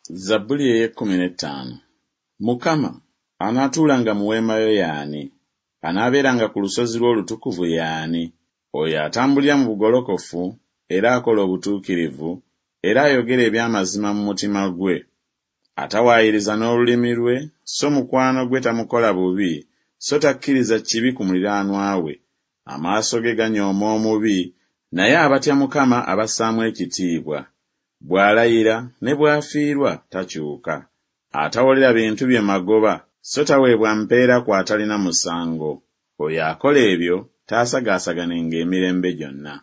Zabbuli ey'ekkumi n'ettaano. Mukama, anaatuulanga mu weema yo y'ani? Anaabeeranga ku lusozi lwo olutukuvu y'ani? Oyo atambulira mu bugolokofu, era akola obutuukirivu, era ayogera eby'amazima mu mutima gwe. Atawaayiriza n'olulimi lwe, so mukwano gwe tamukola bubi, so takkiriza kibi ku muliraanwa we. Amaaso ge ganyooma omubi, naye abatya Mukama abassaamu ekitiibwa. Bw'alayira, ne bw'afiirwa, takyuka. Atawolera bintu bye magoba, so taweebwa mpeera ku atalina musango. Oyo akola ebyo taasagaasaganenga emirembe gyonna.